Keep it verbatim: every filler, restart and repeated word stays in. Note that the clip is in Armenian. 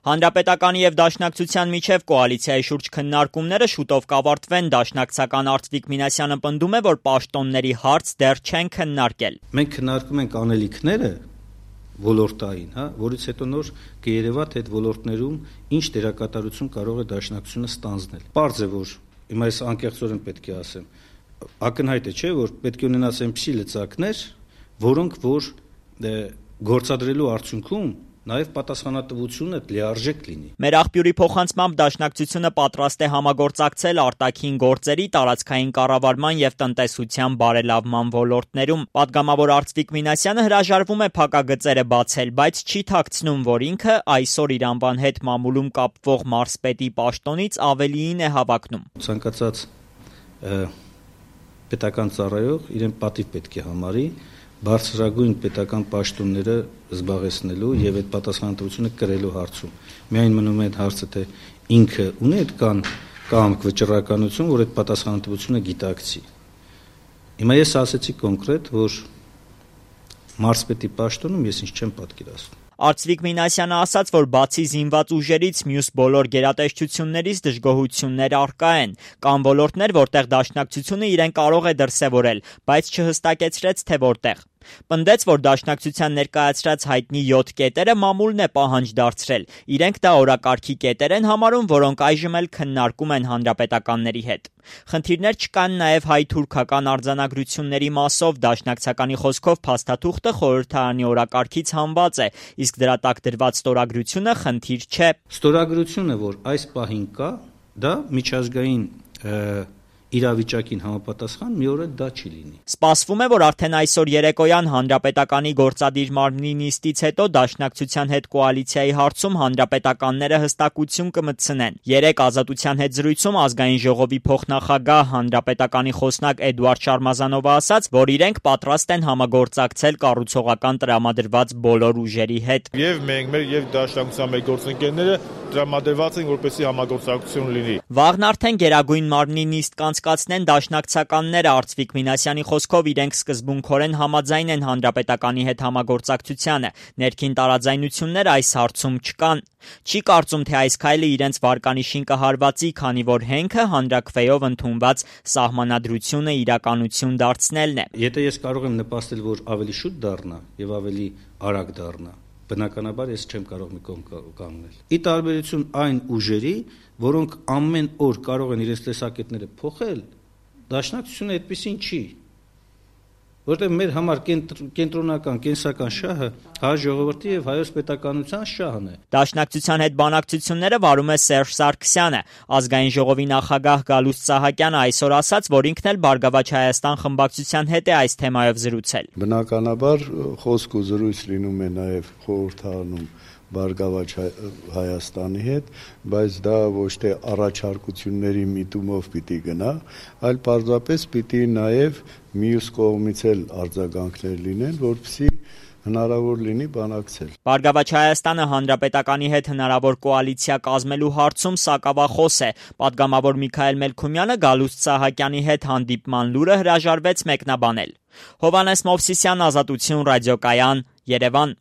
Հանրապետականի եւ Դաշնակցության միջև կոալիցիայի շուրջ քննարկումները շուտով կավարտվեն, դաշնակցական Արծվիկ Մինասյանը պնդում է, որ պաշտոնների հարց դեռ չեն քննարկել։ Մենք քննարկում ենք անելիքները ոլորտային, հա, որից հետո նոր կերևա թե այդ ոլորտներում ինչ դերակատարություն կարող է Դաշնակցությունը ստանձնել։ Պարզ է, որ հիմա ես անկեղծորեն պետք է ասեմ, ակնհայտ է, չէ, որ պետք է ունենաս այնպիսի լծակներ, որոնք որ գործադրելու արդյունքում նաև պատասխանատվությունը լիարժեք լինի։ Մեր աղբյուրի փոխանցմամբ Դաշնակցությունը պատրաստ է համագործակցել արտաքին գործերի, տարածքային կառավարման եւ տնտեսության բարելավման ոլորտներում։ Պատգամավոր Արծվիկ Մինասյանը հրաժարվում է փակագծերը բացել, բայց չի թաքցնում, որ ինքը այսօր իր անվան հետ մամուլում կապվող մարզպետի պաշտոնից ավելիին է հավակնում։ Ցանկացած պետական ծառայող իրեն պատիվ պետք է համարի բարձրագույն պետական պաշտոնները զբաղեցնելու եւ այդ պատասխանատվությունը կրելու հարցում։ Միայն մնում է այդ հարցը, թե ինքը ունի այդ կան կամք վճռականություն, որ այդ պատասխանատվությունը գիտակցի։ Հիմա ես ասեցի կոնկրետ, որ մարզպետի պաշտոնում ես ինչ չեմ պատկերացնում։ Արծվիկ Մինասյանը ասաց, որ բացի զինված ուժերից մյուս բոլոր գերատեսչություններից դժգոհություններ առկա են։ Կան ոլորտներ, որտեղ Դաշնակցությունը իրեն կարող է դրսևորել, բայց չհստակեցրեց, թե որտեղ։ Պնդեց, որ Դաշնակցության ներկայացրած հայտնի յոթ կետերը մամուլն է պահանջ դարձրել։ Իրենք դա օրակարգի կետեր են համարում, որոնք այժմ էլ քննարկում են հանրապետականների հետ։ Խնդիրներ չկան նաև հայ-թուրքական արձանագրությունների մասով։ Դաշնակցականի խոսքով փաստաթուղթը խորհրդարանի օրակարգից հանված է, իսկ դրա տակ դրված ստորագրությունը խնդիր չէ։ Ստորագրությունը, որ այս պահին կա, դա միջազգային իրավիճակին համապատասխան մի օր դա չի լինի։ Սպասվում է, որ արդեն այսօր երեկոյան Հանրապետականի գործադիր մարմնի նիստից հետո Դաշնակցության հետ կոալիցիայի հարցում հանրապետականները հստակություն կմտցնեն։ Երեկ Ազատության հետ զրույցում Ազգային ժողովի փոխնախագահ Հանրապետականի խոսնակ Էդուարդ Շարմազանովը ասաց, որ իրենք պատրաստ են համագործակցել կառուցողական տրամադրված բոլոր ուժերի հետ։ Եվ մենք մեր եւ Դաշնակցության մեր գործընկերները տրամադրված են, որպեսզի համագործակցություն լինի։ Վաղն արդեն Գերագույն մարմնի նիստ կանցկացնեն դաշնակցականները։ Արծվիկ Մինասյանի խոսքով իրենք սկզբունքորեն համաձայն են հանրապետականի հետ համագործակցությանը։ Ներքին տարաձայնություններ այս հարցում չկան։ Չի կարծում, թե այս քայլը իրենց վարկանիշին կհարվածի, քանի որ հենքը հանրաքվեով ընդունված սահմանադրությունը իրականություն դարձնելն է։ Եթե ես կարող եմ նպաստել, որ ավելի շուտ դառնա եւ ավելի արագ դառնա, բնականաբար ես չեմ կարող մի կողմ կանգնել։ Ի տարբերություն այն ուժերի, որոնք ամեն օր կարող են իրենց տեսակետները փոխել, Դաշնակցությունը այդպեսին չի։ Որտեղ մեր համար կենտրոնական, կենսական շահը հայ ժողովրդի եւ հայոց պետականության շահն է։ Դաշնակցության հետ բանակցությունները վարում է Սերժ Սարգսյանը։ Ազգային ժողովի նախագահ Գալուստ Սահակյանը այսօր ասաց, որ ինքն էլ Բարգավաճ Հայաստան խմբակցության հետ է այս թեմայով զրուցել։ Բնականաբար խոսք ու զրույց լինում է նաեւ խորհրդարանում Բարգավաճ Հայաստանի հետ, բայց դա ոչ թե առաջարկությունների միտումով պիտի գնա, այլ պարզապես պիտի նաև մյուս կողմից էլ արձագանքներ լինեն, որպեսզի հնարավոր լինի բանակցել։ Բարգավաճ Հայաստանը հանրապետականի հետ հնարավոր կոալիցիա կազմելու հարցում սակավախոս է։ Պատգամավոր Միքայել Մելքումյանը Գալուստ Սահակյանի հետ հանդիպման լուրը հրաժարվեց մեկնաբանել։ Հովհաննես Մովսիսյան, Ազատություն, ռադիոկայան, Երևան։